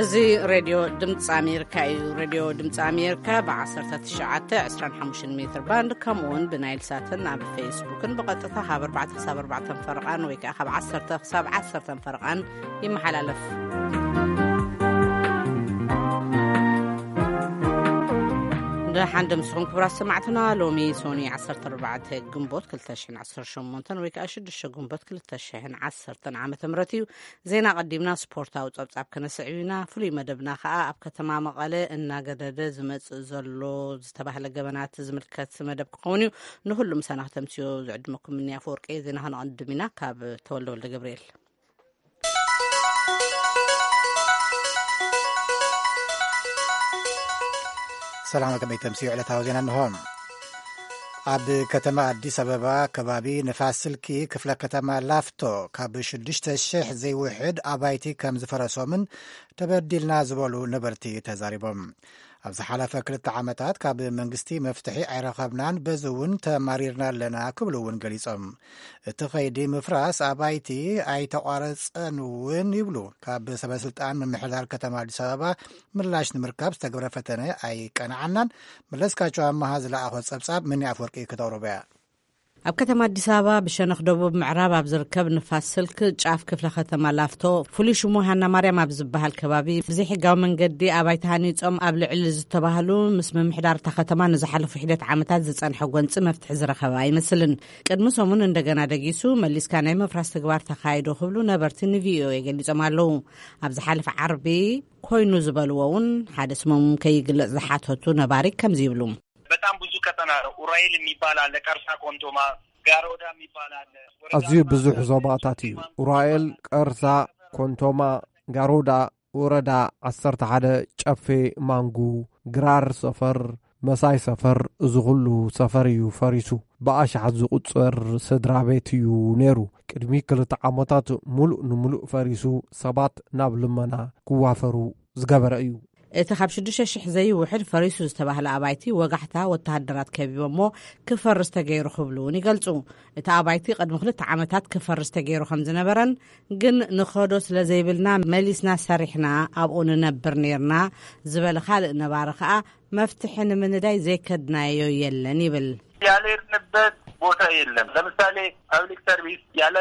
እዚ ሬድዮ ድምፂ ኣሜሪካ እዩ። ሬድዮ ድምፂ ኣሜሪካ ብ19፣ 25 ሜትር ባንድ፣ ከምኡ እውን ብናይል ሳትን ኣብ ፌስቡክን ብቐጥታ ካብ ኣርባዕተ ክሳብ ኣርባዕተ ፈረቓን ወይ ከዓ ካብ ዓሰርተ ክሳብ ዓሰርተ ፈረቓን ይመሓላለፍ። ደሓን ደምስኹም ክቡራት ሰማዕትና። ሎሚ ሶኒ ዓሰርተ ኣርባዕተ ግንቦት ክልተ ሽሕን ዓሰርተ ሸሞንተን ወይ ከዓ ሽዱሽተ ግንቦት ክልተ ሽሕን ዓሰርተን ዓመተ ምህረት እዩ። ዜና ቀዲምና ስፖርታዊ ጸብጻብ ከነስዕብ ኢና። ፍሉይ መደብና ከኣ ኣብ ከተማ መቐለ እናገደደ ዝመጽእ ዘሎ ዝተባህለ ገበናት ዝምልከት መደብ ክኸውን እዩ። ንኹሉ ምሳና ከተምስዮ ዝዕድመኩም እኒ ኣፈወርቂ። ዜና ከነቐድም ኢና ካብ ተወልደ ወልደ ገብርኤል። ሰላም፣ ከመይ ተምስዮ ዕለታዊ ዜና እንሆ። ኣብ ከተማ ኣዲስ ኣበባ ከባቢ ንፋስ ስልኪ ክፍለ ከተማ ላፍቶ ካብ ሽዱሽተ ሽሕ ዘይውሕድ ኣባይቲ ከም ዝፈረሶምን ተበዲልና ዝበሉ ነበርቲ ተዛሪቦም። ኣብ ዝሓለፈ ክልተ ዓመታት ካብ መንግስቲ መፍትሒ ኣይረኸብናን፣ በዚ እውን ተማሪርና ኣለና ክብሉ እውን ገሊጾም። እቲ ኸይዲ ምፍራስ ኣባይቲ ኣይተቋረጸን እውን ይብሉ። ካብ ሰበ ስልጣን ምምሕዳር ከተማ ኣዲስ ኣበባ ምላሽ ንምርካብ ዝተገብረ ፈተነ ኣይቀናዓናን። መለስካቸው ኣመሃ ዝለኣኾ ጸብጻብ፣ ምኒ ኣፈወርቂ ክተቕርቦ እያ። ኣብ ከተማ ኣዲስ ኣበባ ብሸነኽ ደቡብ ምዕራብ ኣብ ዝርከብ ንፋስ ስልክ ጫፍ ክፍለ ከተማ ላፍቶ፣ ፍሉይ ሽሙ ሃና ማርያም ኣብ ዝበሃል ከባቢ ብዘይሕጋዊ መንገዲ ኣባይቲ ሃኒጾም ኣብ ልዕሊ ዝተባህሉ ምስ ምምሕዳር እታ ከተማ ንዝሓለፉ ሒደት ዓመታት ዝጸንሐ ጎንጺ መፍትሒ ዝረኸበ ኣይመስልን። ቅድሚ ሰሙን እንደገና ደጊሱ መሊስካ ናይ ምፍራስ ተግባር ተኻይዶ ክብሉ ነበርቲ ንቪኦኤ ገሊጾም ኣለዉ። ኣብ ዝሓለፈ ዓርቢ ኮይኑ ዝበልዎ እውን ሓደ ስሞም ከይግለጽ ዝሓተቱ ነባሪ ከምዚ ይብሉ። በጣም ብዙ ቀጠና ነው። ኡራኤል የሚባል አለ፣ ቀርሳ፣ ኮንቶማ፣ ጋሮዳ የሚባል አለ። ወረዳ አዝዩ ብዙሕ ዞባታት እዩ። ኡራኤል፣ ቀርሳ፣ ኮንቶማ፣ ጋሮዳ፣ ወረዳ ዓሰርተ ሓደ፣ ጨፌ፣ ማንጉ፣ ግራር ሰፈር፣ መሳይ ሰፈር፣ እዚ ኩሉ ሰፈር እዩ ፈሪሱ። ብኣሽሓት ዝቑጸር ስድራ ቤት እዩ ነይሩ። ቅድሚ ክልተ ዓመታት ሙሉእ ንሙሉእ ፈሪሱ ሰባት ናብ ልመና ክዋፈሩ ዝገበረ እዩ። እቲ ካብ ሽዱሽተ ሽሕ ዘይውሕድ ፈሪሱ ዝተባህለ ኣባይቲ ወጋሕታ ወተሃደራት ከቢቦሞ ክፈርስ ተገይሩ ክብሉ እውን ይገልጹ። እቲ ኣባይቲ ቅድሚ ክልተ ዓመታት ክፈርስ ተገይሩ ከም ዝነበረን ግን ንኸዶ ስለ ዘይብልና መሊስና ሰሪሕና ኣብኡ ንነብር ነይርና ዝበለ ካልእ ነባሪ ከኣ መፍትሒ ንምንዳይ ዘይከድናዮ የለን ይብል። ያልሄድንበት ቦታ የለም። ለምሳሌ ፐብሊክ ሰርቪስ ያለ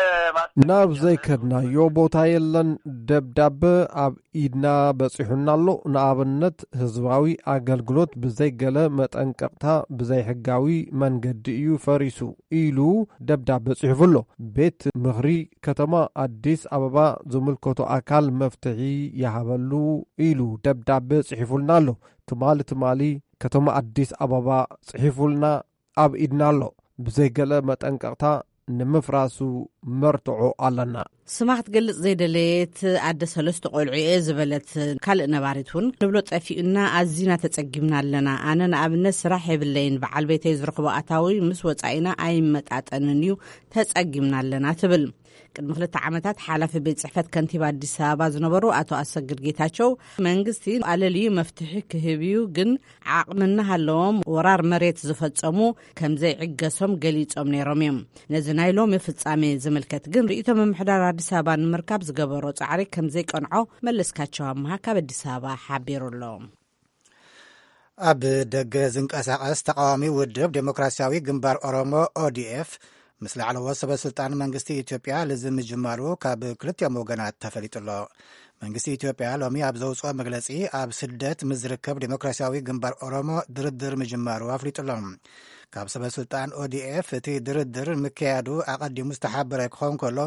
ናብ ዘይከድናዮ ቦታ የለን። ደብዳበ ኣብ ኢድና በጺሑና ኣሎ። ንኣብነት ህዝባዊ ኣገልግሎት ብዘይገለ መጠንቀቕታ ብዘይሕጋዊ መንገዲ እዩ ፈሪሱ ኢሉ ደብዳበ ጽሒፉ ኣሎ። ቤት ምኽሪ ከተማ ኣዲስ ኣበባ ዝምልከቶ ኣካል መፍትሒ ይሃበሉ ኢሉ ደብዳበ ጽሒፉልና ኣሎ። ትማሊ ትማሊ ከተማ ኣዲስ ኣበባ ጽሒፉልና ኣብ ኢድና ኣሎ። ብዘይገለ መጠንቀቕታ ንምፍራሱ መርትዖ ኣለና። ስማ ክትገልጽ ዘይደለየት ኣደ ሰለስተ ቆልዑ እየ ዝበለት ካልእ ነባሪት እውን ንብሎ ጠፊኡና፣ ኣዚና ተጸጊምና ኣለና። ኣነ ንኣብነት ስራሕ የብለይን፣ በዓል ቤተይ ዝረኽቦ ኣታዊ ምስ ወጻኢና ኣይመጣጠንን እዩ፣ ተጸጊምና ኣለና ትብል። ቅድሚ ክልተ ዓመታት ሓላፊ ቤት ጽሕፈት ከንቲባ ኣዲስ ኣበባ ዝነበሩ ኣቶ ኣሰግድ ጌታቸው መንግስቲ ኣለልዩ መፍትሒ ክህብ እዩ፣ ግን ዓቕሚ እናሃለዎም ወራር መሬት ዝፈጸሙ ከም ዘይዕገሶም ገሊጾም ነይሮም እዮም። ነዚ ናይ ሎሚ ፍጻሜ ዝምልከት ግን ርእይቶ ምምሕዳር ኣዲስ ኣበባ ንምርካብ ዝገበሮ ጻዕሪ ከም ዘይቀንዖ መለስካቸው ኣምሃ ካብ ኣዲስ ኣበባ ሓቢሩ ኣሎ። ኣብ ደገ ዝንቀሳቐስ ተቃዋሚ ውድብ ዴሞክራሲያዊ ግንባር ኦሮሞ፣ ኦዲኤፍ፣ ምስ ላዕለዎት ሰበ ስልጣን መንግስቲ ኢትዮጵያ ልዝብ ምጅማሩ ካብ ክልቲኦም ወገናት ተፈሊጡ ኣሎ። መንግስቲ ኢትዮጵያ ሎሚ ኣብ ዘውፅኦ መግለፂ፣ ኣብ ስደት ምስ ዝርከብ ዴሞክራሲያዊ ግንባር ኦሮሞ ድርድር ምጅማሩ ኣፍሊጡ ኣሎ። ካብ ሰበ ስልጣን ኦዲኤፍ እቲ ድርድር ምክያዱ ኣቐዲሙ ዝተሓበረ ክኸውን ከሎ፣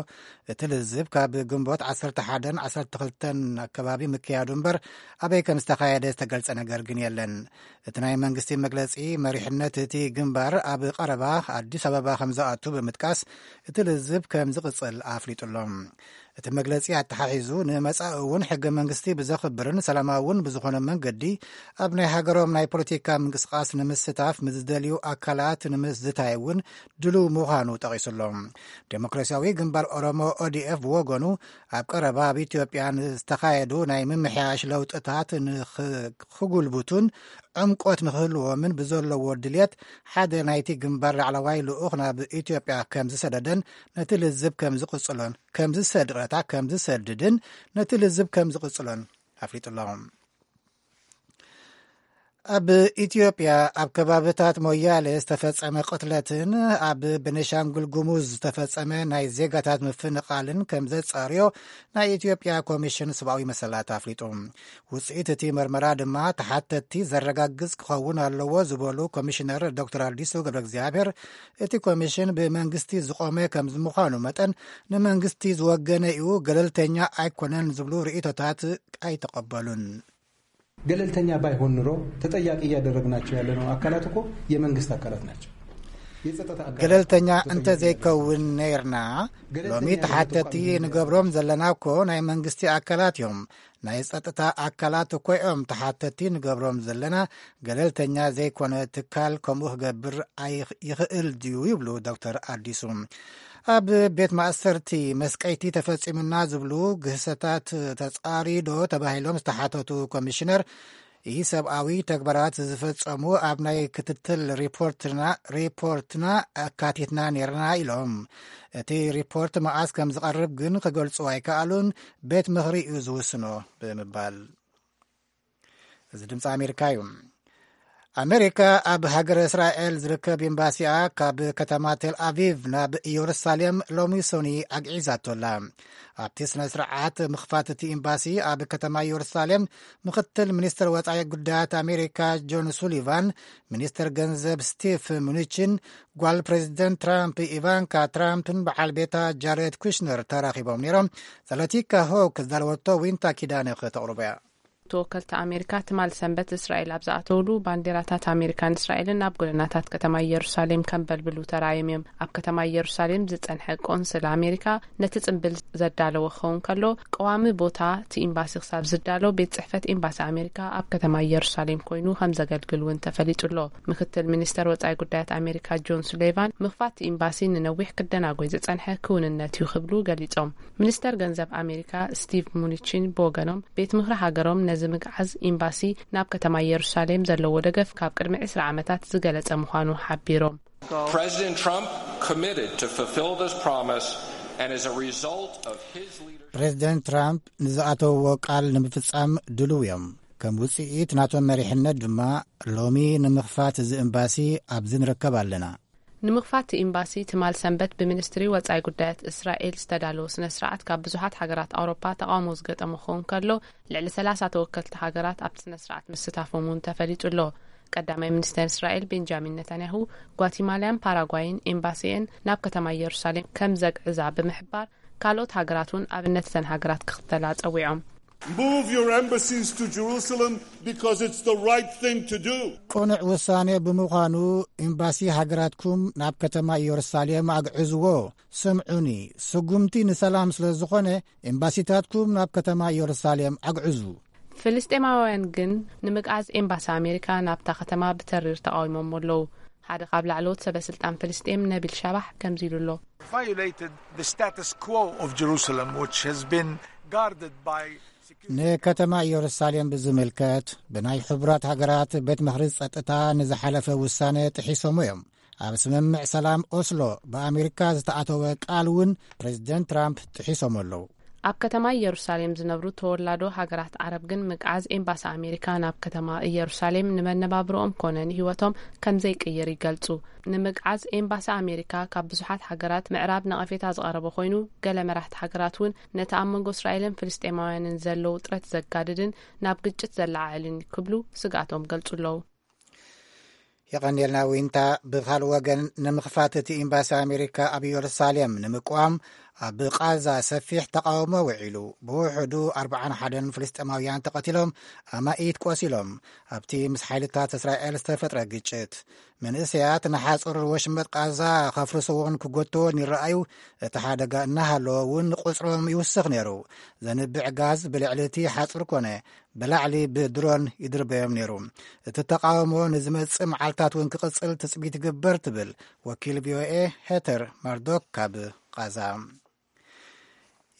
እቲ ልዝብ ካብ ግንቦት ዓሰርተ ሓደን ዓሰርተ ክልተን ኣከባቢ ምክያዱ እምበር፣ ኣበይ ከም ዝተኻየደ ዝተገልጸ ነገር ግን የለን። እቲ ናይ መንግስቲ መግለጺ፣ መሪሕነት እቲ ግንባር ኣብ ቀረባ ኣዲስ ኣበባ ከም ዝኣቱ ብምጥቃስ፣ እቲ ልዝብ ከም ዝቕጽል ኣፍሊጡ ኣሎ። እቲ መግለጺ ኣተሓሒዙ፣ ንመጻኢ እውን ሕገ መንግስቲ ብዘኽብርን ሰላማዊ እውን ብዝኾነ መንገዲ ኣብ ናይ ሃገሮም ናይ ፖለቲካ ምንቅስቃስ ንምስታፍ ምስ ዝደልዩ ኣካላት ንምዝታይ እውን ድሉው ምዃኑ ጠቒሱ ኣሎ። ዴሞክራሲያዊ ግንባር ኦሮሞ፣ ኦዲኤፍ፣ ብወገኑ፣ ኣብ ቀረባ ኣብ ኢትዮጵያ ንዝተኻየዱ ናይ ምምሕያሽ ለውጥታት ንኽ-፣ ክጉልብቱን ዕምቆት ንክህልዎምን ብዘለዎ ድልየት፣ ሓደ ናይቲ ግንባር ላዕለዋይ ልኡኽ ናብ ኢትዮጵያ ከም ዝሰደደን ነቲ ልዝብ ከም ዝቕጽሎን፣ ከም ዝሰድ-፣ ይቕረታ፣ ከም ዝሰድድን ነቲ ልዝብ ከም ዝቕጽሎን ኣፍሊጡ ኣሎ። ኣብ ኢትዮጵያ ኣብ ከባብታት ሞያሌ ዝተፈጸመ ቅትለትን ኣብ ቤኒሻንጉል ጉሙዝ ዝተፈጸመ ናይ ዜጋታት ምፍንቓልን ከም ዘጻርዮ ናይ ኢትዮጵያ ኮሚሽን ሰብኣዊ መሰላት ኣፍሊጡ። ውጽኢት እቲ መርመራ ድማ ተሓተትቲ ዘረጋግጽ ክኸውን ኣለዎ ዝበሉ ኮሚሽነር ዶክተር ኣዲሱ ገብረ እግዚኣብሔር፣ እቲ ኮሚሽን ብመንግስቲ ዝቖመ ከም ምዃኑ መጠን ንመንግስቲ ዝወገነ እዩ፣ ገለልተኛ ኣይኮነን ዝብሉ ርእይቶታት ኣይተቐበሉን። ገለልተኛ ባይሆን ኑሮ ተጠያቂ እያደረግናቸው ያለነው አካላት እኮ የመንግስት አካላት ናቸው። የጸጥታ አካላት ገለልተኛ እንተዘይከውን ነይርና፣ ሎሚ ተሓተቲ ንገብሮም ዘለና እኮ ናይ መንግስቲ ኣካላት እዮም። ናይ ጸጥታ ኣካላት እኮ እዮም ተሓተቲ ንገብሮም ዘለና። ገለልተኛ ዘይኮነ ትካል ከምኡ ክገብር ኣይኽ- ይኽእል ድዩ ይብሉ ዶክተር ኣዲሱ። ኣብ ቤት ማእሰርቲ መስቀይቲ ተፈጺሙና ዝብሉ ግህሰታት ተጻሪዶ ተባሂሎም ዝተሓተቱ ኮሚሽነር፣ ይህ ሰብኣዊ ተግባራት ዝፈጸሙ ኣብ ናይ ክትትል ሪፖርትና ሪፖርትና ኣካቲትና ነርና ኢሎም። እቲ ሪፖርት መዓስ ከም ዝቐርብ ግን ክገልጹ ኣይከኣሉን፣ ቤት ምኽሪ እዩ ዝውስኖ ብምባል። እዚ ድምፂ ኣሜሪካ እዩ። ኣሜሪካ ኣብ ሃገረ እስራኤል ዝርከብ ኤምባሲኣ ካብ ከተማ ቴል ኣቪቭ ናብ ኢየሩሳሌም ሎሚ ሶኒ ኣግዒዛቶ ኣላ። ኣብቲ ስነ ስርዓት ምኽፋት እቲ ኤምባሲ ኣብ ከተማ ኢየሩሳሌም ምኽትል ሚኒስትር ወፃኢ ጉዳያት ኣሜሪካ ጆን ሱሊቫን፣ ሚኒስትር ገንዘብ ስቲቭ ሙኒችን፣ ጓል ፕሬዚደንት ትራምፕ ኢቫንካ ትራምፕን በዓል ቤታ ጃሬድ ኩሽነር ተራኺቦም ነይሮም። ዘለቲካ ሆክ ዝዳለወቶ ዊንታ ኪዳነ ከተቕርቦ እያ። ተወከልቲ ኣሜሪካ ትማል ሰንበት እስራኤል ኣብ ዝኣተውሉ ባንዴራታት ኣሜሪካን እስራኤልን ኣብ ጎደናታት ከተማ ኢየሩሳሌም ከንበልብሉ ተራእዮም እዮም። ኣብ ከተማ ኢየሩሳሌም ዝጸንሐ ቆንስል ኣሜሪካ ነቲ ጽንብል ዘዳለወ ክኸውን ከሎ፣ ቀዋሚ ቦታ እቲ ኤምባሲ ክሳብ ዝዳሎ ቤት ጽሕፈት ኤምባሲ ኣሜሪካ ኣብ ከተማ ኢየሩሳሌም ኮይኑ ከም ዘገልግል እውን ተፈሊጡ ኣሎ። ምክትል ሚኒስተር ወጻኢ ጉዳያት ኣሜሪካ ጆን ሱሌቫን፣ ምኽፋት እቲ ኤምባሲ ንነዊሕ ክደናጎይ ዝጸንሐ ክውንነት እዩ ክብሉ ገሊጾም። ሚኒስተር ገንዘብ ኣሜሪካ ስቲቭ ሙኒቺን ብወገኖም፣ ቤት ምኽሪ ሃገሮም ነዚ ምግዓዝ ኤምባሲ ናብ ከተማ ኢየሩሳሌም ዘለዎ ደገፍ ካብ ቅድሚ ዕስራ ዓመታት ዝገለጸ ምዃኑ ሓቢሮም። President Trump committed to fulfill this promise, and as a result of his leadership, ፕሬዚደንት ትራምፕ ንዝኣተውዎ ቃል ንምፍጻም ድልው እዮም። ከም ውጽኢት ናቶም መሪሕነት ድማ ሎሚ ንምኽፋት እዚ ኤምባሲ ኣብዚ ንርከብ ኣለና። ንምኽፋት እቲ ኤምባሲ ትማል ሰንበት ብሚኒስትሪ ወጻኢ ጉዳያት እስራኤል ዝተዳለወ ስነ ስርዓት ካብ ብዙሓት ሃገራት ኣውሮፓ ተቓውሞ ዝገጠሞ ክኸውን ከሎ፣ ልዕሊ ሰላሳ ተወከልቲ ሃገራት ኣብቲ ስነ ስርዓት ምስታፎም እውን ተፈሊጡ ኣሎ። ቀዳማይ ሚኒስተር እስራኤል ቤንጃሚን ነታንያሁ፣ ጓቲማላያን ፓራጓይን ኤምባሲኤን ናብ ከተማ ኢየሩሳሌም ከም ዘግዕዛ ብምሕባር፣ ካልኦት ሃገራት እውን ኣብነት እተን ሃገራት ክኽተላ ጸዊዖም። Move your embassies to Jerusalem because it's the right thing to do. ቅኑዕ ውሳኔ ብምዃኑ ኤምባሲ ሃገራትኩም ናብ ከተማ ኢየሩሳሌም ኣግዕዝዎ። ስምዑኒ፣ ስጉምቲ ንሰላም ስለ ዝኾነ ኤምባሲታትኩም ናብ ከተማ ኢየሩሳሌም ኣግዕዙ። ፍልስጤማውያን ግን ንምግዓዝ ኤምባሲ ኣሜሪካ ናብታ ከተማ ብተሪር ተቓዊሞም ኣለዉ። ሓደ ካብ ላዕለዎት ሰበ ስልጣን ፍልስጤም ነቢል ሻባሕ ከምዚ ኢሉ ኣሎ። Violated the status quo of Jerusalem, which has been guarded by security. ንከተማ ኢየሩሳሌም ብዝምልከት ብናይ ሕቡራት ሃገራት ቤት ምኽሪ ጸጥታ ንዝሓለፈ ውሳነ ጥሒሶም እዮም። ኣብ ስምምዕ ሰላም ኦስሎ ብኣሜሪካ ዝተኣተወ ቃል እውን ፕሬዚደንት ትራምፕ ጥሒሶም ኣለዉ። ኣብ ከተማ ኢየሩሳሌም ዝነብሩ ተወላዶ ሃገራት ዓረብ ግን ምግዓዝ ኤምባሲ ኣሜሪካ ናብ ከተማ ኢየሩሳሌም ንመነባብሮኦም ኮነ ንህይወቶም ከም ዘይቅይር ይገልጹ። ንምግዓዝ ኤምባሲ ኣሜሪካ ካብ ብዙሓት ሃገራት ምዕራብ ነቐፌታ ዝቐረበ ኮይኑ፣ ገለ መራሕቲ ሃገራት እውን ነቲ ኣብ መንጎ እስራኤልን ፍልስጤማውያንን ዘሎ ውጥረት ዘጋድድን ናብ ግጭት ዘለዓዕልን ክብሉ ስግኣቶም ገልጹ ኣለዉ። የቐንየልና ዊንታ። ብኻልእ ወገን ንምኽፋት እቲ ኤምባሲ ኣሜሪካ ኣብ ኢየሩሳሌም ንምቅዋም ኣብ ቃዛ ሰፊሕ ተቃውሞ ውዒሉ። ብውሕዱ ኣርብዓን ሓደን ፍልስጤማውያን ተቐቲሎም፣ ኣማኢት ቆሲሎም። ኣብቲ ምስ ሓይልታት እስራኤል ዝተፈጥረ ግጭት፣ መንእሰያት ንሓጹር ወሽመጥ ቃዛ ከፍርስዎን ክጎትዎን ይረኣዩ። እቲ ሓደጋ እናሃለወ እውን ቁጽሮም ይውስኽ ነይሩ። ዘንብዕ ጋዝ ብልዕሊ እቲ ሓጹር ኮነ ብላዕሊ ብድሮን ይድርበዮም ነይሩ። እቲ ተቃውሞ ንዝመጽእ መዓልታት እውን ክቕጽል ትጽቢት ይግበር ትብል ወኪል ቪኦኤ ሄተር ማርዶክ ካብ ቃዛ።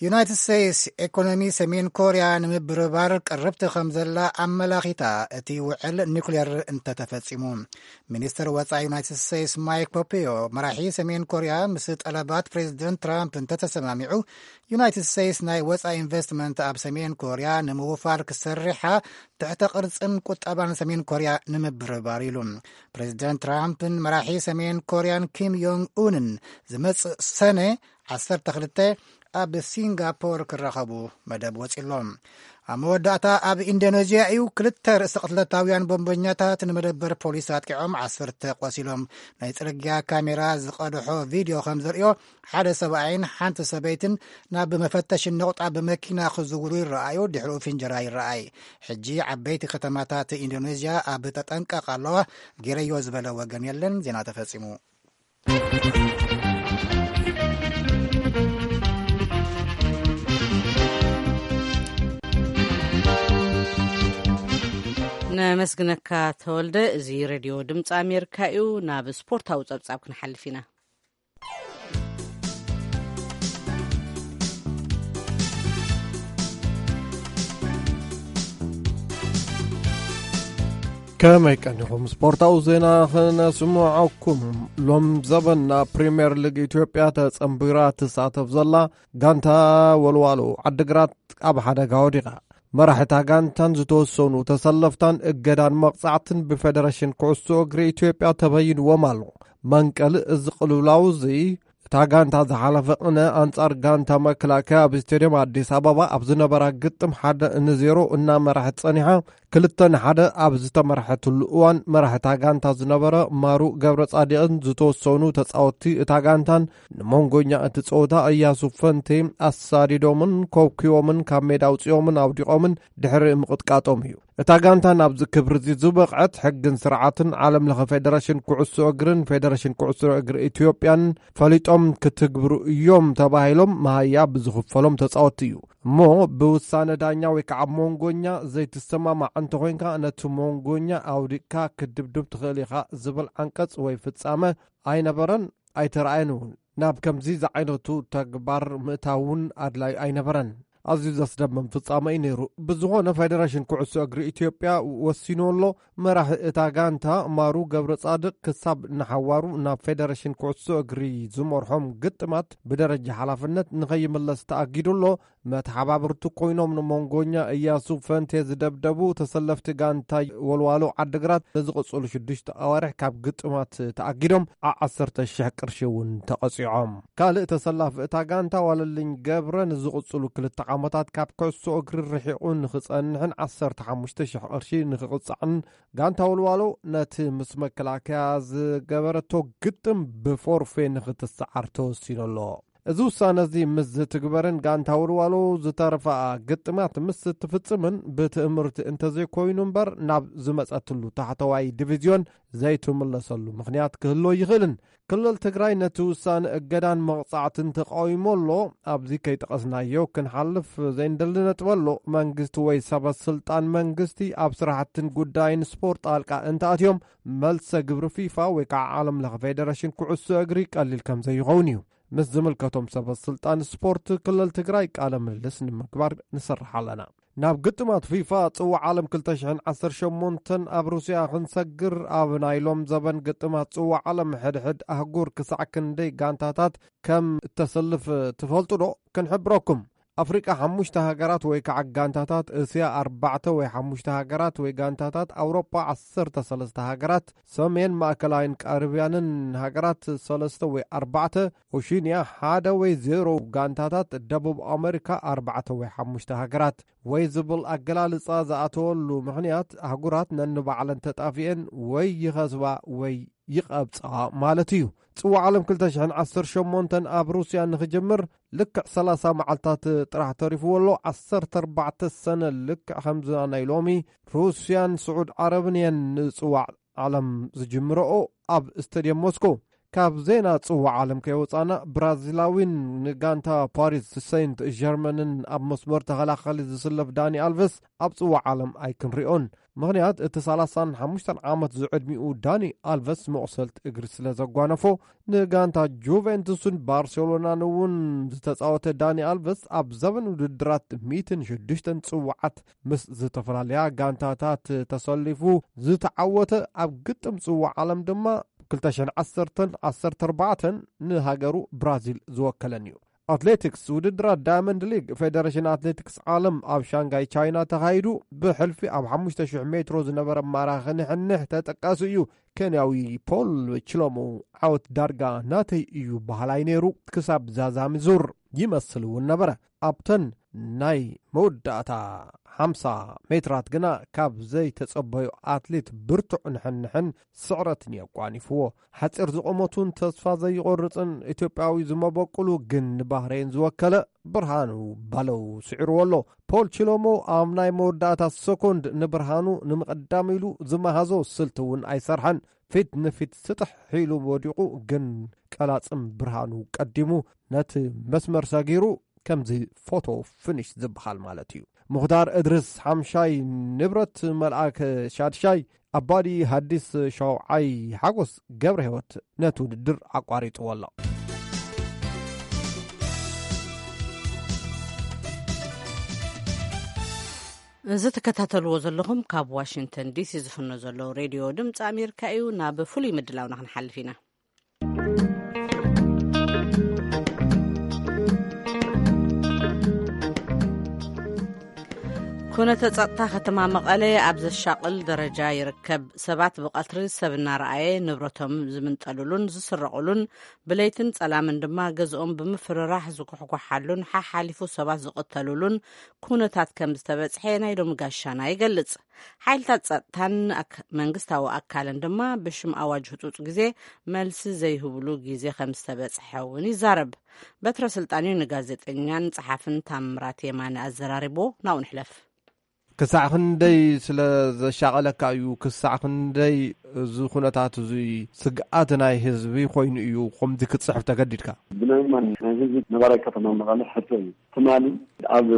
ዩናይትድ ስቴትስ ኢኮኖሚ ሰሜን ኮርያ ንምብርባር ቅርብቲ ከም ዘላ ኣመላኺታ፣ እቲ ውዕል ኒውክሌር እንተተፈጺሙ። ሚኒስትር ወጻኢ ዩናይትድ ስቴትስ ማይክ ፖምፔዮ፣ መራሒ ሰሜን ኮርያ ምስ ጠለባት ፕሬዚደንት ትራምፕ እንተተሰማሚዑ፣ ዩናይትድ ስቴትስ ናይ ወጻኢ ኢንቨስትመንት ኣብ ሰሜን ኮርያ ንምውፋር ክሰርሓ ትሕተ ቅርጽን ቁጠባን ሰሜን ኮርያ ንምብርባር ኢሉ። ፕሬዚደንት ትራምፕን መራሒ ሰሜን ኮርያን ኪም ዮንግ ኡንን ዝመጽእ ሰነ ዓሰርተ ክልተ ኣብ ሲንጋፖር ክራኸቡ መደብ ወጺሎም። ኣብ መወዳእታ ኣብ ኢንዶኔዥያ እዩ ክልተ ርእሰ ቅትለታውያን ቦምበኛታት ንመደበር ፖሊስ ኣጥቂዖም ዓሰርተ ቆሲሎም። ናይ ጽርግያ ካሜራ ዝቐድሖ ቪድዮ ከም ዘርእዮ፣ ሓደ ሰብኣይን ሓንቲ ሰበይትን ናብ መፈተሺ ነቑጣ ብመኪና ክዝውሩ ይረኣዩ፣ ድሕሪኡ ፍንጀራ ይረኣይ። ሕጂ ዓበይቲ ከተማታት ኢንዶኔዥያ ኣብ ተጠንቀቕ ኣለዋ፣ ገይረዮ ዝበለ ወገን የለን። ዜና ተፈጺሙ። ነመስግነካ ተወልደ። እዚ ሬድዮ ድምፂ ኣሜሪካ እዩ። ናብ ስፖርታዊ ፀብፃብ ክንሓልፍ ኢና። ከመይ ቀኒኹም? ስፖርታዊ ዜና ክነስምዓኩም። ሎም ዘበን ናብ ፕሪምየር ሊግ ኢትዮጵያ ተጸንቢራ ትሳተፍ ዘላ ጋንታ ወልዋሎ ዓድግራት ኣብ ሓደጋ ወዲቓ። መራሕታ ጋንታን ዝተወሰኑ ተሰለፍታን እገዳን መቕጻዕትን ብፌደሬሽን ኩዕሶ እግሪ ኢትዮጵያ ተበይንዎም ኣሎ። መንቀሊ እዚ ቅልውላው እዚ፣ እታ ጋንታ ዝሓለፈ ቅነ ኣንጻር ጋንታ መከላከያ ኣብ ስቴድየም ኣዲስ ኣበባ ኣብ ዝነበራ ግጥም ሓደ ንዜሮ እናመራሐት ጸኒሓ፣ ክልተ ንሓደ ኣብ ዝተመርሐትሉ እዋን፣ መራሕታ ጋንታ ዝነበረ ማሩ ገብረ ጻዲቕን ዝተወሰኑ ተጻወትቲ እታ ጋንታን ንመንጎኛ እቲ ጸወታ እያሱ ፈንቴ ኣሳዲዶምን ኮብኪቦምን ካብ ሜዳ ኣውጺኦምን ኣውዲቖምን ድሕሪ ምቕጥቃጦም እዩ። እታ ጋንታ ናብዚ ክብሪ እዚ ዝበቕዐት፣ ሕግን ስርዓትን ዓለም ለኸ ፌደሬሽን ኩዕሶ እግርን ፌደሬሽን ኩዕሶ እግሪ ኢትዮጵያን ፈሊጦም ክትግብሩ እዮም ተባሂሎም መሃያ ብዝኽፈሎም ተጻወትቲ እዩ። እሞ ብውሳነ ዳኛ ወይ ከዓ ሞንጎኛ ዘይትሰማማዕ እንተኾይንካ፣ ነቲ ሞንጎኛ ኣውዲቕካ ክትድብድብ ትኽእል ኢኻ ዝብል ዓንቀጽ ወይ ፍጻመ ኣይነበረን፣ ኣይተረኣየን እውን። ናብ ከምዚ ዝዓይነቱ ተግባር ምእታው እውን ኣድላዩ ኣይነበረን። ኣዝዩ ዘስደምም ፍጻመ እዩ ነይሩ። ብዝኾነ፣ ፌደሬሽን ኩዕሶ እግሪ ኢትዮጵያ ወሲኑ ኣሎ። መራሒ እታ ጋንታ ማሩ ገብረ ጻድቕ ክሳብ ንሓዋሩ ናብ ፌደሬሽን ኩዕሶ እግሪ ዝመርሖም ግጥማት ብደረጃ ሓላፍነት ንኸይምለስ ተኣጊዱ ኣሎ። መተሓባብርቲ ኮይኖም ንሞንጎኛ እያሱ ፈንቴ ዝደብደቡ ተሰለፍቲ ጋንታ ወልዋሎ ዓድግራት ንዝቕጽሉ ሽዱሽተ ኣዋርሕ ካብ ግጥማት ተኣጊዶም ዓ ዓሰርተ ሽሕ ቅርሺ እውን ተቐጺዖም። ካልእ ተሰላፊ እታ ጋንታ ዋለልኝ ገብረ ንዝቕጽሉ ክልተ ዓመታት ካብ ኩዕሶ እግሪ ርሒቑ ንኽጸንሕን ዓሰርተ ሓሙሽተ ሽሕ ቅርሺ ንኽቕጻዕን ጋንታ ወልዋሎ ነቲ ምስ መከላከያ ዝገበረቶ ግጥም ብፎርፌ ንኽትሰዓር ተወሲኑ ኣሎ። እዚ ውሳነ እዚ ምስ ዝትግበርን ጋንታ ወልዋሎ ዝተረፋ ግጥማት ምስ እትፍጽምን ብትእምርቲ እንተዘይኮይኑ እምበር ናብ ዝመጸትሉ ታሕተዋይ ዲቪዝዮን ዘይትምለሰሉ ምኽንያት ክህሎ ይኽእልን። ክልል ትግራይ ነቲ ውሳነ እገዳን መቕጻዕትን ተቃዊሞ ኣሎ። ኣብዚ ከይጠቐስናዮ ክንሓልፍ ዘይንደሊ ነጥቢ ኣሎ። መንግስቲ ወይ ሰበ ስልጣን መንግስቲ ኣብ ስራሕትን ጉዳይን ስፖርት ጣልቃ እንተኣትዮም፣ መልሰ ግብሪ ፊፋ ወይ ከዓ ዓለም ለኸ ፌደሬሽን ኩዕሶ እግሪ ቀሊል ከም ዘይኸውን እዩ። ምስ ዝምልከቶም ሰበ ስልጣን ስፖርት ክልል ትግራይ ቃለ ምልልስ ንምግባር ንሰርሕ ኣለና። ናብ ግጥማት ፊፋ ጽዋዕ ዓለም ክልተ ሽሕን ዓሰርተ ሸሞንተን ኣብ ሩስያ ክንሰግር፣ ኣብ ናይ ሎም ዘበን ግጥማት ጽዋዕ ዓለም ሕድሕድ ኣህጉር ክሳዕ ክንደይ ጋንታታት ከም እተሰልፍ ትፈልጡ ዶ? ክንሕብረኩም። ኣፍሪቃ ሓሙሽተ ሃገራት ወይ ከዓ ጋንታታት፣ እስያ ኣርባዕተ ወይ ሓሙሽተ ሃገራት ወይ ጋንታታት፣ ኣውሮጳ ዓሰርተ ሰለስተ ሃገራት፣ ሰሜን ማእከላይን ካሪብያንን ሃገራት ሰለስተ ወይ ኣርባዕተ፣ ኦሺንያ ሓደ ወይ ዜሮ ጋንታታት፣ ደቡብ ኣመሪካ ኣርባዕተ ወይ ሓሙሽተ ሃገራት ወይ ዝብል ኣገላልጻ ዝኣተወሉ ምኽንያት፣ ኣህጉራት ነንባዕለን ተጣፊኤን ወይ ይኸስባ ወይ ይቐብጻ ማለት እዩ። ጽዋዕ ዓለም ክልተ ሽሕን ዓሰርተ ሸሞንተን ኣብ ሩስያ ንኽጅምር ልክዕ ሰላሳ መዓልታት ጥራሕ ተሪፍዎ ኣሎ። ዓሰርተ ኣርባዕተ ሰነ ልክዕ ከምዚ ናይ ሎሚ ሩስያን ስዑድ ዓረብን እየን ንጽዋዕ ዓለም ዝጅምረኦ ኣብ ስቴድየም ሞስኮ። ካብ ዜና ጽዋዕ ዓለም ከይወጻና፣ ብራዚላዊን ንጋንታ ፓሪስ ሰንት ጀርመንን ኣብ መስመር ተኸላኸሊ ዝስለፍ ዳኒ ኣልቨስ ኣብ ጽዋዕ ዓለም ኣይክንሪኦን። ምኽንያት እቲ ሰላሳን ሓሙሽተን ዓመት ዝዕድሚኡ ዳኒ ኣልቨስ መቑሰልቲ እግሪ ስለ ዘጓነፎ፣ ንጋንታ ጁቬንቱስን ባርሴሎናን እውን ዝተጻወተ ዳኒ ኣልቨስ፣ ኣብ ዘበን ውድድራት ሚእትን ሽዱሽተን ጽዋዓት ምስ ዝተፈላለያ ጋንታታት ተሰሊፉ ዝተዓወተ፣ ኣብ ግጥም ጽዋዕ ዓለም ድማ ክልተ ሽሕን ዓሰርተን ዓሰርተ ኣርባዕተን ንሃገሩ ብራዚል ዝወከለን እዩ። ኣትሌቲክስ፣ ውድድራት ዳያመንድ ሊግ ፌደሬሽን ኣትሌቲክስ ዓለም ኣብ ሻንጋይ ቻይና ተኻይዱ፣ ብሕልፊ ኣብ ሓሙሽተ ሽሕ ሜትሮ ዝነበረ ማራኺ ንሕንሕ ተጠቃሲ እዩ። ኬንያዊ ፖል ችሎሞ፣ ዓወት ዳርጋ ናተይ እዩ በሃላይ ነይሩ። ክሳብ ዛዛሚ ዙር ይመስል እውን ነበረ። ኣብተን ናይ መወዳእታ ሓምሳ ሜትራት ግና ካብ ዘይተጸበዮ ኣትሌት ብርቱዕ ንሕንሕን ስዕረትን የጓኒፍዎ። ሓጺር ዝቆመቱን ተስፋ ዘይቆርጽን ኢትዮጵያዊ ዝመበቁሉ ግን ንባህሬን ዝወከለ ብርሃኑ ባለው ስዒርዎ ኣሎ። ፖል ቺሎሞ ኣብ ናይ መወዳእታ ሰኮንድ ንብርሃኑ ንምቕዳም ኢሉ ዝመሃዞ ስልቲ እውን ኣይሰርሐን። ፊት ንፊት ስጥሕ ኢሉ ወዲቑ፣ ግን ቀላጽም ብርሃኑ ቀዲሙ ነቲ መስመር ሰጊሩ ከምዚ ፎቶ ፍኒሽ ዝበሃል ማለት እዩ። ሙኽታር እድርስ ሓምሻይ፣ ንብረት መልኣክ ሻድሻይ፣ ኣባዲ ሃዲስ ሻውዓይ፣ ሓጎስ ገብረ ህይወት ነቲ ውድድር ኣቋሪጥዎ ኣሎ። እዚ ትከታተልዎ ዘለኹም ካብ ዋሽንግተን ዲሲ ዝፍኖ ዘሎ ሬድዮ ድምፂ ኣሜሪካ እዩ። ናብ ፍሉይ ምድላውና ክንሓልፍ ኢና። ኩነተ ጸጥታ ከተማ መቐለ ኣብ ዘሻቕል ደረጃ ይርከብ። ሰባት ብቐትሪ ሰብ እናረኣየ ንብረቶም ዝምንጠሉሉን ዝስረቑሉን፣ ብለይትን ጸላምን ድማ ገዝኦም ብምፍርራሕ ዝኩሕኳሓሉን ሓሓሊፉ ሰባት ዝቕተሉሉን ኩነታት ከም ዝተበጽሐ ናይ ሎሚ ጋሻና ይገልጽ። ሓይልታት ጸጥታን ኣክ-፣ መንግስታዊ ኣካልን ድማ ብሽም ኣዋጅ ህጹጽ ግዜ መልሲ ዘይህብሉ ግዜ ከም ዝተበጽሐ እውን ይዛረብ። በትረ ስልጣንዩ ንጋዜጠኛን ጸሓፍን ታምራት የማነ ኣዘራሪቦ። ናብኡ ንሕለፍ። ክሳዕ ክንደይ ስለ ዘሻቐለካ እዩ? ክሳዕ ክንደይ እዚ ኩነታት እዚ ስግኣት ናይ ህዝቢ ኮይኑ እዩ ከምዚ ክትጽሕፍ ተገዲድካ? ብናይ ማን ናይ ህዝቢ ነባራይ ከተማ መቐለ ሕቶ እዩ። ትማሊ ኣብ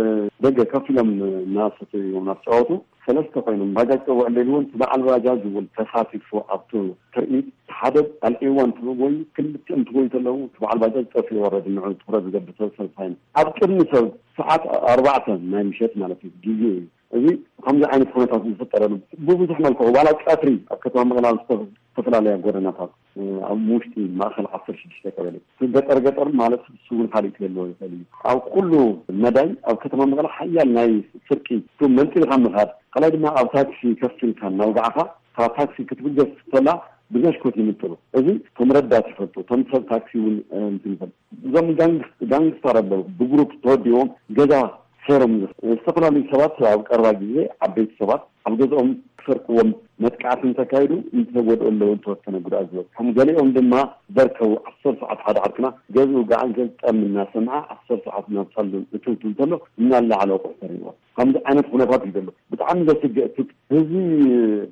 ደገ ከፍ ኢሎም እናሰተዩ እናተጫወቱ ሰለስተ ኮይኖም ባጃጅ ጠውዕ እንደልዎ፣ እቲ በዓል ባጃጅ እውን ተሳቲፉ ኣብቲ ትርኢት። ሓደ ኣልዒዋ እንትብሉ ወይ ክልቲኦም እንትጎዩ ከለዉ፣ እቲ በዓል ባጃጅ ጠፊኡ ወረድ። ንዑ ትኹረት ዝገብር ሰብ ሰልፋይን ኣብ ቅድሚ ሰብ ሰዓት ኣርባዕተ ናይ ምሸት ማለት እዩ፣ ግዜ እዩ። እዚ ከምዚ ዓይነት ኩነታት ዝፍጠረሉ ብብዙሕ መልክዑ፣ ዋላ ቀትሪ ኣብ ከተማ መቐለ ኣብ ዝተፈ-፣ ዝተፈላለያ ጎደናታት፣ ኣብ ውሽጢ ማእኸል ዓሰርተ ሽዱሽተ ቀበሌ፣ እቲ ገጠር ገጠር ማለት እሱ እውን ካልእ ክህልዎ ይኽእል እዩ። ኣብ ኩሉ መዳይ ኣብ ከተማ መቐለ ሓያል ናይ ስርቂ፣ እሱ መንጢልካ ምኻድ፣ ካልኣይ ድማ ኣብ ታክሲ ከፊልካ እናውጋዕካ ካብ ታክሲ ክትብገስ ከላ ብዘሽኮት ይምጥሉ። እዚ እቶም ረዳት ይፈልጡ፣ እቶም ሰብ ታክሲ እውን፣ እ፣ እንትን ይፈልጡ። እዞም ጋንግ-፣ ጋንግስተር ኣለዉ፣ ብግሩፕ ተወዲቦም ገዛ ሰይሮም። ዝተፈላለዩ ሰባት ኣብ ቀረባ ግዜ ዓበይቲ ሰባት ኣብ ገዝኦም ክሰርቅዎም መጥቃዕቲ እንተካይዱ፣ እንተጎድኡ ኣለዉ፣ እንተወሰነ ጉድኣት ዝበፅሖም፣ ገሊኦም ድማ በርከቡ። ዓሰርተ ሰዓት ሓደ ዓርክና ገዝኡ ገዓል ገዝጠም እናሰምዐ ዓሰርተ ሰዓት ናብ ሳሎን እትው ትብል ተሎ እናለዓለ ኣቑሑ ተሪእዎ። ከምዚ ዓይነት ኩነታት እዩ ዘሎ። ብጣዕሚ ዘስግእ፣ እቲ ህዝቢ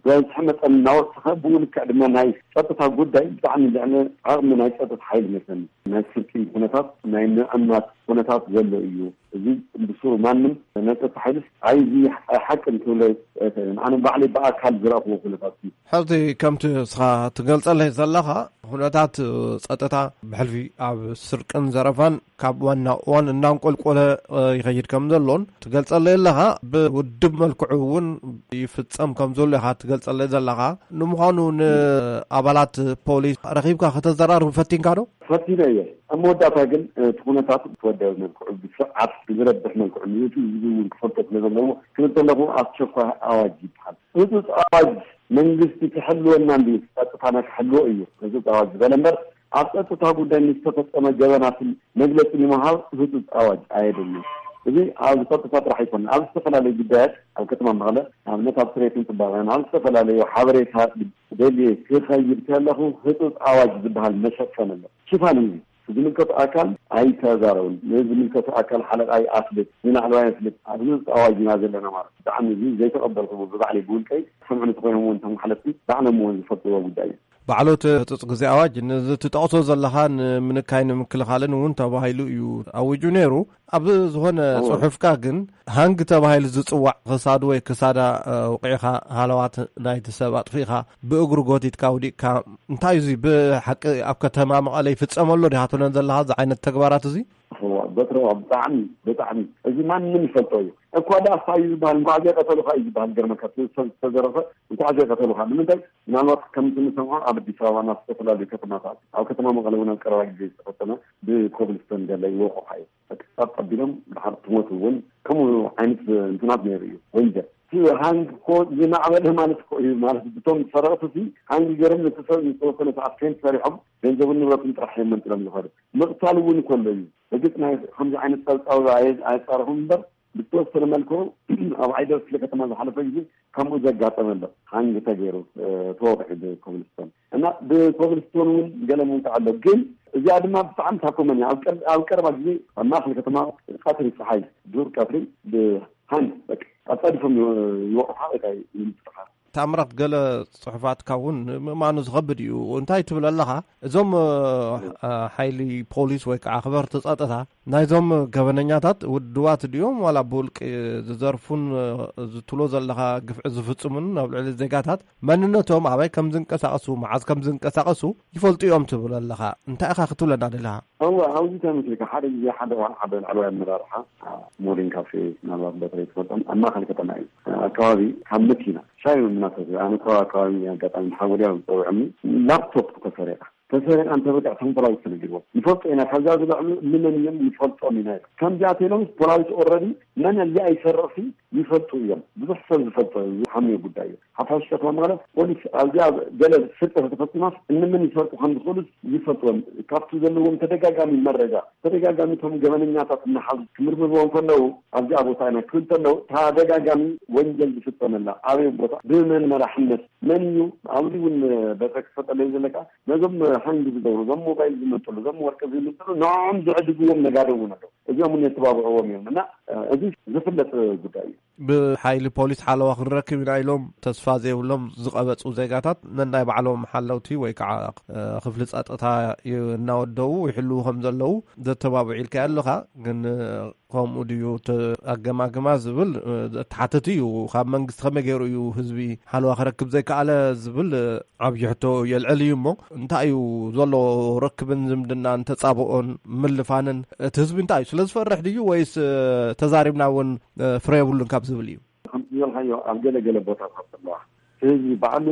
ዝበዝሐ መጠን እናወሰኸ፣ ብኡ ልክዕ ድማ ናይ ጸጥታ ጉዳይ ብጣዕሚ ልዕሊ ዓቕሚ ናይ ጸጥታ ሓይሊ መስለኒ። ናይ ስርቂ ኩነታት፣ ናይ ምዕማት ኩነታት ዘሎ እዩ። እዚ ብስሩ ማንም ናይ ጸጥታ ሓይልስ ኣይዚ ሓቂ እንትብሎ ኣይክእልን። ኣነ ባዕለይ ብኣካል ዝረእኽዎ ኩነታት እዩ። ሕዚ ከምቲ እስኻ ትገልጸለይ ዘለኻ፣ ኩነታት ጸጥታ ብሕልፊ ኣብ ስርቅን ዘረፋን ካብ ዋና እዋን እናንቆልቆለ፣ እ፣ ይኸይድ ከም ዘሎን ትገልጸለይ ኣለኻ። ብውድብ መልክዑ እውን ይፍጸም ከም ዘሎ ኢኻ ትገልጸለይ ዘለኻ። ንምዃኑ ንኣባላት ፖሊስ ረኺብካ ከተዘራርብ ፈቲንካ ዶ? ፈቲነ እየ። ኣብ መወዳእታ ግን፣ እ፣ እቲ ኩነታት ብወደበ መልክዑ ብስርዓት ብዝረብሕ መልክዑ ንህዝቢ እውን ክፈልጦ ስለ ዘለዎ ክብል ከለኹ ኣስቸኳይ ኣዋጅ ይበሃል። ህጹጽ ኣዋጅ መንግስቲ ክሕልወና እንድዩ፣ ጸጥታና ክሕልዎ እዩ ህጹጽ ኣዋጅ ዝበለ እምበር፣ ኣብ ጸጥታ ጉዳይ ንዝተፈጸመ ገበናትን መግለጺ ንምሃብ ህጹጽ ኣዋጅ ኣየድልን። እዚ ኣብ ጸጥታ ጥራሕ ኣይኮነን። ኣብ ዝተፈላለዩ ጉዳያት ኣብ ከተማ መቐለ፣ ንኣብነት ኣብ ጽሬትን ጽባቐን፣ ኣብ ዝተፈላለዩ ሓበሬታ ደልየ ክኸይድ ከለኹ ህጹጽ ኣዋጅ ዝበሃል መሸፈኒ ኣሎ። ሽፋን እዩ። ዝምልከቱ ኣካል ኣይተዛረቡን። ንዝምልከቱ ኣካል ሓለቓ ይኣፍልጥ፣ ንላዕለዋይ የፍልጥ። ኣብዚ ውስጥ ኣዋጅ ኢና ዘለና ማለት ብጣዕሚ እዚ ዘይተቐበልኩዎ ብባዕለይ ብውልቀይ ክሰምዑ እንተኾይኖም እውን እቶም ሓለፍቲ ባዕሎም እውን ዝፈልጥዎ ጉዳይ እዩ። ባዕሎት ህጹጽ ግዜ ኣዋጅ ንዚ ትጠቕሶ ዘለኻ ንምንካይ ንምክልኻልን እውን ተባሂሉ እዩ ኣዊጁ ነይሩ። ኣብ ዝኾነ እዎ። ጽሑፍካ ግን ሃንግ ተባሂሉ ዝጽዋዕ ክሳዱ ወይ ክሳዳ፣ እ፣ ውቂዕኻ ሃለዋት ናይቲ ሰብ ኣጥፊእኻ ብእግሩ ጎቲትካ ውዲቕካ፣ እንታይ እዩ እዚ ብሓቂ ኣብ ከተማ መቐለ ይፍጸመሉ ዲኻ ትብለን ዘለኻ እዚ ዓይነት ተግባራት እዚ? እዋ፣ በትረዋ፣ ብጣዕሚ፣ ብጣዕሚ። እዚ ማንም ይፈልጦ እዩ። እኳ ደኣ እንታይ እዩ ዝበሃል፣ እንኳዕ ዘይቀተሉኻ እዩ ዝበሃል። ገርመካ፣ እቲ ሰብ ዝተዘረፈ እንኳዕ ዘይቀተሉኻ። ንምንታይ? ምናልባት ከምቲ ንሰምዖ ኣብ ኣዲስ ኣበባ ናብ ዝተፈላለዩ ከተማታት፣ ኣብ ከተማ መቐለ እውን ኣብ ቀረባ ግዜ ዝተፈጸመ ብኮብልስቶን ገለ ይወቕዑኻ እዩ። በቃ ጸጥ ኣቢሎም ድሓር ትሞት እውን ከምኡ ዓይነት እንትናት ነይሩ እዩ። ወንጀል። እቲ ሃንግ እኮ ዝማዕበለ ማለት እኮ እዩ። ማለት ብቶም ሰረቕቲ እቲ ሃንግ ገይሮም ነቲ ሰብ ዝተወሰነ ሰዓት ፌንት ሰሪሖም ገንዘብን ንብረትን ጥራሕ እዮም መንጥሎም ዝኸዱ። ምቕታል እውን ከሎ እዩ። እርግጥ ናይ ከምዚ ዓይነት ጸብጻብ ኣየ-፣ ኣየጻረኹም እምበር ብዝተወሰነ መልክዑ ኣብ ዓይደር ክፍለ ከተማ ዝሓለፈ ግዜ ከምኡ ዘጋጠመ ኣሎ። ሃንግ ተገይሩ፣ እ፣ ተወቕዑ ብኮብልስቶን እና ብኮብልስቶን እውን ገለ ምውቃዕ ኣሎ። ግን እዚኣ ድማ ብጣዕሚ ታኮመን እያ። ኣብ ቀር-፣ ኣብ ቀረባ ግዜ ኣብ ማእከል ከተማ ቀትሪ ጸሓይ ዱር ቀትሪ ብሃንግ በቃ ኣጻዲፎም ይወ-፣ ይወቕዑኻ ወይ ከዓ ይምጥጥኻ። ታምራት፣ ገለ ጽሑፋትካ እውን ንምእማኑ ዝኸብድ እዩ። እንታይ ትብል ኣለኻ? እዞም፣ እ፣ ሓይሊ ፖሊስ ወይ ከዓ ኣኽበርቲ ጸጥታ ናይዞም ገበነኛታት ውድባት ድዮም ዋላ ብውልቂ ዝዘርፉን፣ እ፣ ዝትሎ ዘለኻ ግፍዒ ዝፍጽሙን ኣብ ልዕሊ ዜጋታት መንነቶም፣ ኣበይ ከም ዝንቀሳቐሱ፣ መዓዝ ከም ዝንቀሳቐሱ ይፈልጡ እዮም ትብል ኣለኻ። እንታይ ኢኻ ክትብለና ደለኻ? እወ፣ ኣብዚ ተመስሪካ ሓደ ግዜ ሓደ ዋን ሓደ ላዕለዋይ ኣመራርሓ፣ አ፣ ሞርኒንግ ካፌ፣ ምናልባት በተለይ ትፈልጦም፣ ኣብ ማእከል ከተማ እዩ። አ፣ ኣከባቢ ካብ መኪና ሻሂ እናሰተየ፣ ኣነ እኮ ኣከባቢ ኣጋጣሚ ሓወልያ ዝፀውዐኒ፣ ላፕቶፕ ተሰሪቓ። ተሰሪቓ እንተበቃ እቶም ፖላዊስ ተነጊርዎም። ንፈልጦ ኢና፣ ካብዛ ዝለዕሉ ንመን እዮም ንፈልጦም ኢና ኢሎም። ከምዚኣ ተይሎም ፖላዊስ ኦልረዲ መን እዚኣ ይሰርቕ ሲ ይፈልጡ እዮም። ብዙሕ ሰብ ዝፈልጦ ዝሓምዮ ጉዳይ እዩ። ሓፋሽ ከተማ መቐለ ፖሊስ ኣብዚኣ ገለ ስርቂ ተፈፂማስ እንምን ይሰርቁ ከም ዝኽእሉ ይፈልጡ እዮም። ካብቲ ዘለዎም ተደጋጋሚ መረጃ፣ ተደጋጋሚ እቶም ገበነኛታት እናሓዙ ክምርምርዎም ከለዉ ኣብዚኣ ቦታ ኢና ክብል ከለዉ ተደጋጋሚ ወንጀል ዝፍፀመላ ኣበይ ቦታ ብመን መራሕነት መን እዩ ኣብዚ እውን በተ ክፈጠለይ ዘለካ ነዞም ሃንግ ዝገብሩ፣ እዞም ሞባይል ዝመንጥሉ፣ እዞም ወርቂ ዝምንጥሉ ንዕኦም ዝዕድግዎም ነጋዶ እውን ኣለዉ። እዚኦም እውን የተባብዕዎም እዮም እና፣ እ፣ እዚ ዝፍለጥ ጉዳይ እዩ። ብሓይሊ ፖሊስ ሓለዋ ክንረክብ ኢና ኢሎም ተስፋ ዘይብሎም ዝቐበጹ ዜጋታት ነናይ ባዕሎም ሓለውቲ ወይ ከዓ፣ እ፣ ክፍሊ ጸጥታ ዩ-፣ እናወደቡ ይሕልዉ ከም ዘለዉ ዘተባብዑ ኢልካ ኣለኻ። ግን፣ እ፣ ከምኡ ድዩ ተ-፣ ኣገማግማ ዝብል፣ እ፣ ተሓትት እዩ። ካብ መንግስቲ ከመይ ገይሩ እዩ ህዝቢ ሓለዋ ክረክብ ዘይከኣለ ዝብል፣ እ፣ ዓብዪ ሕቶ የልዕል እዩ እሞ፣ እንታይ እዩ ዘሎ ርክብን ዝምድናን ተጻብኦን ምልፋንን? እቲ ህዝቢ እንታይ እዩ? ስለ ዝፈርሕ ድዩ ወይስ፣ እ፣ ተዛሪብና እውን፣ እ፣ ፍረ የብሉን ካብ ዝብል እዩ? ከምቲ ዝበልካዮ ኣብ ገለ ገለ ቦታታት ኣለዋ። እቲ ህዝቢ ባዕሉ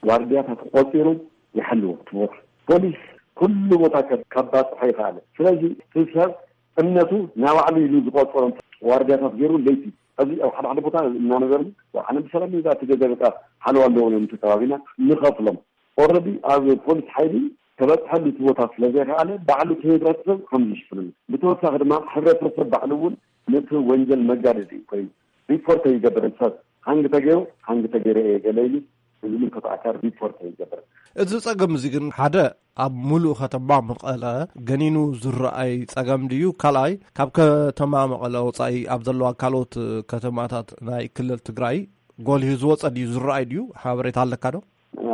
ዋርድያታት ቆጺሩ ይሓልዎ እቲ ቦታ። ፖሊስ ኩሉ ቦታ ከ-፣ ከባጽሖ ይኽኣል። ስለዚ እቲ ሰብ እምነቱ ናባዕሉ ኢሉ ዝቆጸሮም ዋርድያታት ገይሩ ለይቲ ኣብዚ ኣብ ሓደ ሓደ ቦታ እናነበርና ኣነ ብሰላም እዛ እቲ ገዛ በቃ ሓለዋ ኣለዎ እዮም እቲ ከባቢና ንኸፍሎም። ኦልረዲ ኣብ ፖሊስ ሓይሊ ተበፅሐሉ እቲ ቦታ ስለ ዘይከኣለ ባዕሉ እቲ ህብረተሰብ ከም ዝሽፍንሉ። ብተወሳኺ ድማ ሕብረተሰብ ባዕሉ እውን ነቲ ወንጀል መጋደዲ ኮይኑ ሪፖርት ይገብር። ሰብ ሃንግ ተገይሩ፣ ሃንግ ተገይረ እየ ገለ ኢሉ ንዝምልከቶ ኣካል ሪፖርት ይገብር። እዚ ጸገም እዚ ግን ሓደ ኣብ ሙሉእ ከተማ መቐለ ገኒኑ ዝረኣይ ጸገም ድዩ? ካልኣይ፣ ካብ ከተማ መቐለ ወጻኢ ኣብ ዘለዋ ካልኦት ከተማታት ናይ ክልል ትግራይ ጎሊሁ ዝወጸ ድዩ? ዝረኣይ ድዩ? ሓበሬታ ኣለካ ዶ?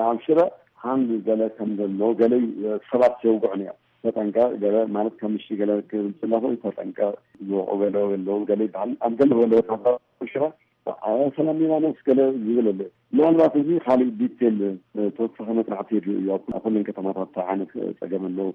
ኣብ ሽረ ሃንግ ገለ ከም ዘሎ፣ ገለ ሰባት የውግዑ ነይሮም። ተጠንቀቕ፣ ገለ ማለት ከም ምሽቲ ገለ ክብል ዝለኹ፣ ተጠንቀቕ፣ ዝወቑ ገለ ኣለዉ፣ ገለ ይበሃል። ኣብ ገለ ገለ ወታደር ሽረ፣ ኣብ ሰላም ሊባኖስ ገለ ዝብል ኣሎ። ምናልባት እዚ ካሊእ ዲቴል፣ እ፣ ተወሳኺ መጽናዕቲ የድልዮ እዩ። ኣብ ኩለን ከተማታት እንታይ ዓይነት ጸገም ኣለዉ፣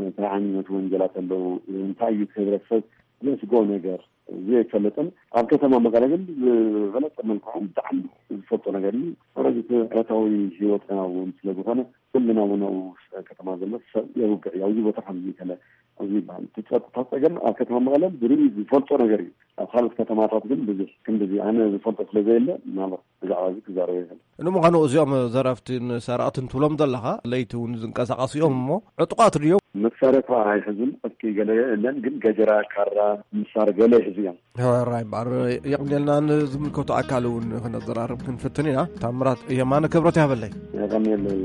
እንታይ ዓይነት ወንጀላት ኣለዉ፣ እንታይ እዩ እቲ ህብረተሰብ ዘስግኦ ነገር ዘይፈልጥን ኣብ ከተማ መቐለ ግን ዝበለጸ መልክዑ ብጣዕሚ ዝፈልጦ ነገር እዩ። ስለዚ እቲ ዕለታዊ ህይወትና እውን ስለ ዝኾነ ኩልና እውን ኣብኡ ከተማ ዘሎ ሰብ የውግዕ እዩ። ኣብዚ ቦታ ከምዚ ከለ ኣብዚ ይበሃል። እቲ ጸጥታ ጸገም ኣብ ከተማ መቐለ ብርኡ ዝፈልጦ ነገር እዩ። ኣብ ካልኦት ከተማታት ግን ብዙሕ ክንድዚ ኣነ ዝፈልጦ ስለ ዘየለ ምናልባት ብዛዕባ እዚ ክዛረብ ይኽእል። ንምዃኑ እዚኦም ዘረፍትን ሰረቕትን ትብሎም ዘለኻ ለይቲ እውን ዝንቀሳቐሱ እዮም እሞ ዕጡቓት ድዮም? መሳርያ እኳ ኣይሕዙን፣ ዕጥቂ ገለ የለን፣ ግን ገጀራ፣ ካራ፣ ምሳር ገለ ይሕዙ እዮም። ሕራይ እምበኣር የቕንየልና፣ ንዝምልከቶ ኣካል እውን ክነዘራርብ ክንፍትን ኢና። ታምራት የማነ ክብረት ያበለይ። የቐንየለይ።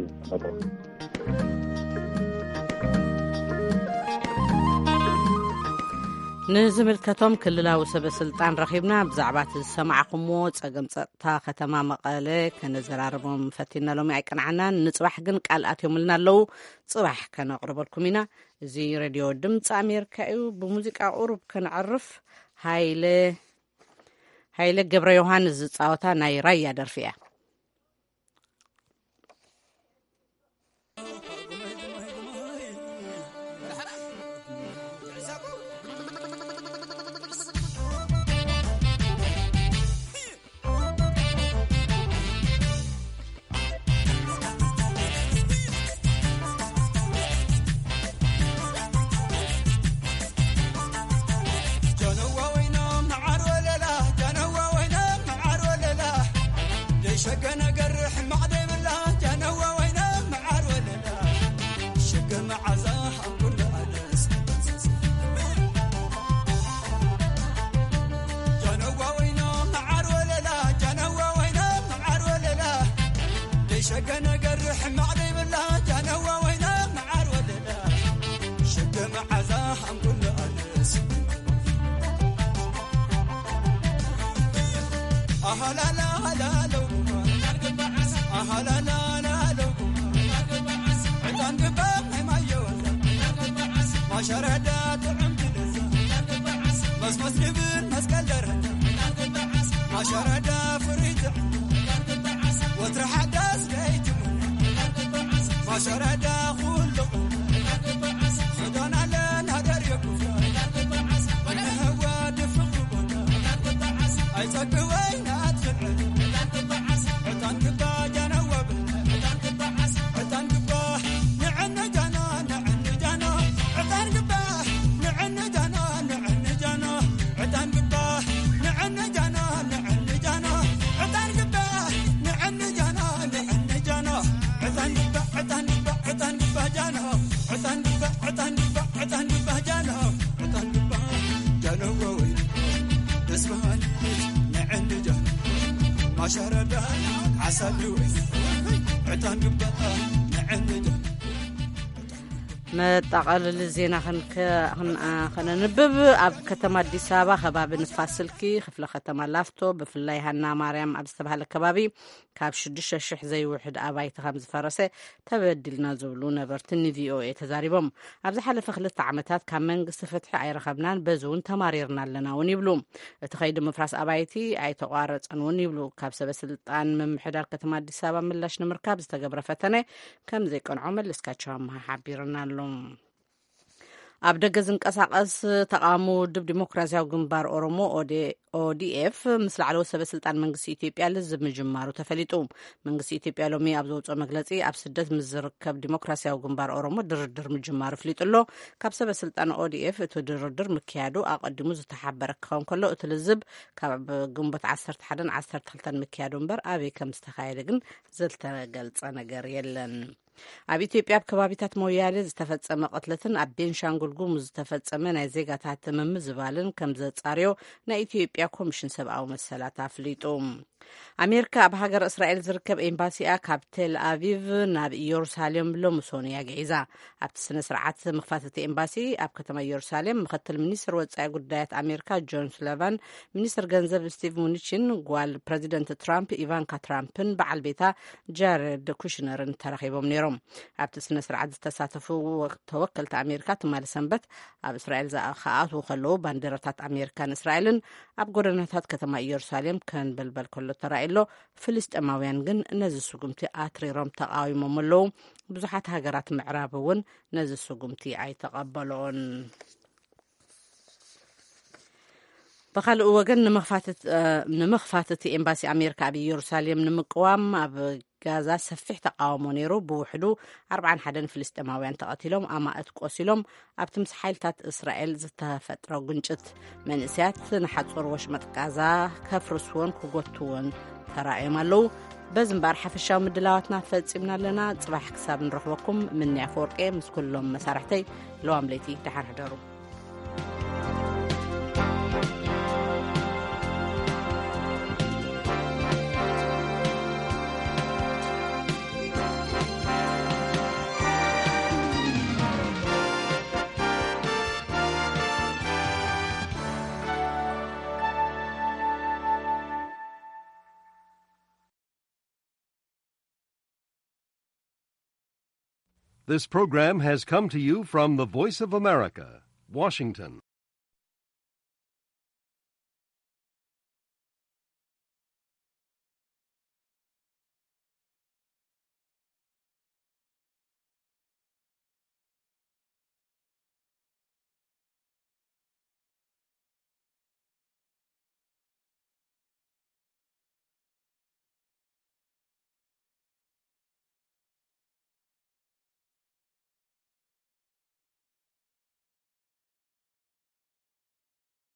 ንዝምልከቶም ክልላዊ ሰበ ስልጣን ረኺብና ብዛዕባ እቲ ዝሰማዕኹምዎ ጸገም ጸጥታ ከተማ መቐለ ከነዘራርቦም ፈቲና ሎሚ ኣይቀንዓናን። ንጽባሕ ግን ቃል ኣትዮምልና ኣለዉ። ጽባሕ ከነቕርበልኩም ኢና። እዚ ሬድዮ ድምፂ ኣሜሪካ እዩ። ብሙዚቃ ቁሩብ ከነዕርፍ። ሃይለ ሃይለ ገብረ ዮሃንስ ዝጻወታ ናይ ራያ ደርፊ እያ። መጠቓለሊ ዜና ከነንብብ። ኣብ ከተማ ኣዲስ ኣበባ ከባቢ ንፋስ ስልኪ ክፍለ ከተማ ላፍቶ ብፍላይ ሃና ማርያም ኣብ ዝተባህለ ከባቢ ካብ ሽዱሽተ ሽሕ ዘይውሕድ ኣባይቲ ከም ዝፈረሰ ተበዲልና ዝብሉ ነበርቲ ንቪኦኤ ተዛሪቦም። ኣብ ዝሓለፈ ክልተ ዓመታት ካብ መንግስቲ ፍትሒ ኣይረኸብናን፣ በዚ እውን ተማሪርና ኣለና እውን ይብሉ። እቲ ከይዲ ምፍራስ ኣባይቲ ኣይተቋረፀን እውን ይብሉ። ካብ ሰበ ስልጣን ምምሕዳር ከተማ ኣዲስ ኣበባ ምላሽ ንምርካብ ዝተገብረ ፈተነ ከም ዘይቀንዖ መለስካቸው ኣምሃ ሓቢርና ኣሎ። ኣብ ደገ ዝንቀሳቐስ ተቓውሞ ውድብ ዲሞክራሲያዊ ግንባር ኦሮሞ ኦዴ- ኦዲኤፍ ምስ ላዕለዎት ሰበ ስልጣን መንግስቲ ኢትዮጵያ ልዝብ ምጅማሩ ተፈሊጡ። መንግስቲ ኢትዮጵያ ሎሚ ኣብ ዘውፅኦ መግለፂ ኣብ ስደት ምስ ዝርከብ ዲሞክራሲያዊ ግንባር ኦሮሞ ድርድር ምጅማሩ ፍሊጡ ኣሎ። ካብ ሰበ ስልጣን ኦዲኤፍ እቲ ድርድር ምክያዱ ኣቐዲሙ ዝተሓበረ ክኸውን ከሎ እቲ ልዝብ ካብ ግንቦት ዓሰርተ ሓደን ዓሰርተ ክልተን ምክያዱ እምበር ኣበይ ከም ዝተኻየደ ግን ዝተገልጸ ነገር የለን። ኣብ ኢትዮጵያ ኣብ ከባቢታት ሞያሌ ዝተፈጸመ ቅትለትን ኣብ ቤንሻንጉል ጉሙዝ ዝተፈጸመ ናይ ዜጋታት ምምዝባልን ከም ዘጻርዮ ናይ ኢትዮጵያ ኮሚሽን ሰብኣዊ መሰላት ኣፍሊጡ። ኣሜሪካ ኣብ ሃገር እስራኤል ዝርከብ ኤምባሲኣ ካብ ቴል ኣቪቭ ናብ ኢየሩሳሌም ሎሚ ሰኑይ ኣግዒዛ። ኣብቲ ስነ ስርዓት ምኽፋት እቲ ኤምባሲ ኣብ ከተማ ኢየሩሳሌም ምኽትል ሚኒስትር ወጻኢ ጉዳያት ኣሜሪካ ጆን ሱለቫን፣ ሚኒስትር ገንዘብ ስቲቭ ሙኒቺን፣ ጓል ፕረዚደንት ትራምፕ ኢቫንካ ትራምፕን በዓል ቤታ ጃረድ ኩሽነርን ተረኺቦም ነይሮም። ኣብቲ ስነ ስርዓት ዝተሳተፉ ወ- ተወከልቲ ኣሜሪካ ትማሊ ሰንበት ኣብ እስራኤል ዝኣ- ክኣትዉ ከለዉ ባንዲራታት ኣሜሪካን እስራኤልን ኣብ ጎደናታት ከተማ ኢየሩሳሌም ከንበልበል ከሎ ተራእዩ ኣሎ። ፍልስጤማውያን ግን ነዚ ስጉምቲ ኣትሪሮም ተቃዊሞም ኣለዉ። ብዙሓት ሃገራት ምዕራብ እውን ነዚ ስጉምቲ ኣይተቐበልኦን። ብኻልእ ወገን ንምኽፋት እቲ- እ፣ ንምኽፋት እቲ ኤምባሲ ኣሜሪካ ኣብ ኢየሩሳሌም ንምቅዋም ኣብ ጋዛ ሰፊሕ ተቃውሞ ነይሩ። ብውሕዱ ኣርብዓን ሓደን ፍልስጤማውያን ተቐቲሎም፣ ኣማእት ቆሲሎም፣ ኣብቲ ምስ ሓይልታት እስራኤል ዝተፈጥረ ግጭት። መንእሰያት ንሓጹር ወሽመጥ ጋዛ ከፍርስዎን ክጎትዎን ተራእዮም ኣለዉ። በዚ እምበኣር ሓፈሻዊ ምድላዋትና ፈጺምና ኣለና። ጽባሕ ክሳብ ንረኽበኩም ምንያ ፈወርቄ ምስ ኩሎም መሳርሕተይ ለዋም ለይቲ ደሓን ሕደሩ። This program has come to you from the Voice of America, Washington.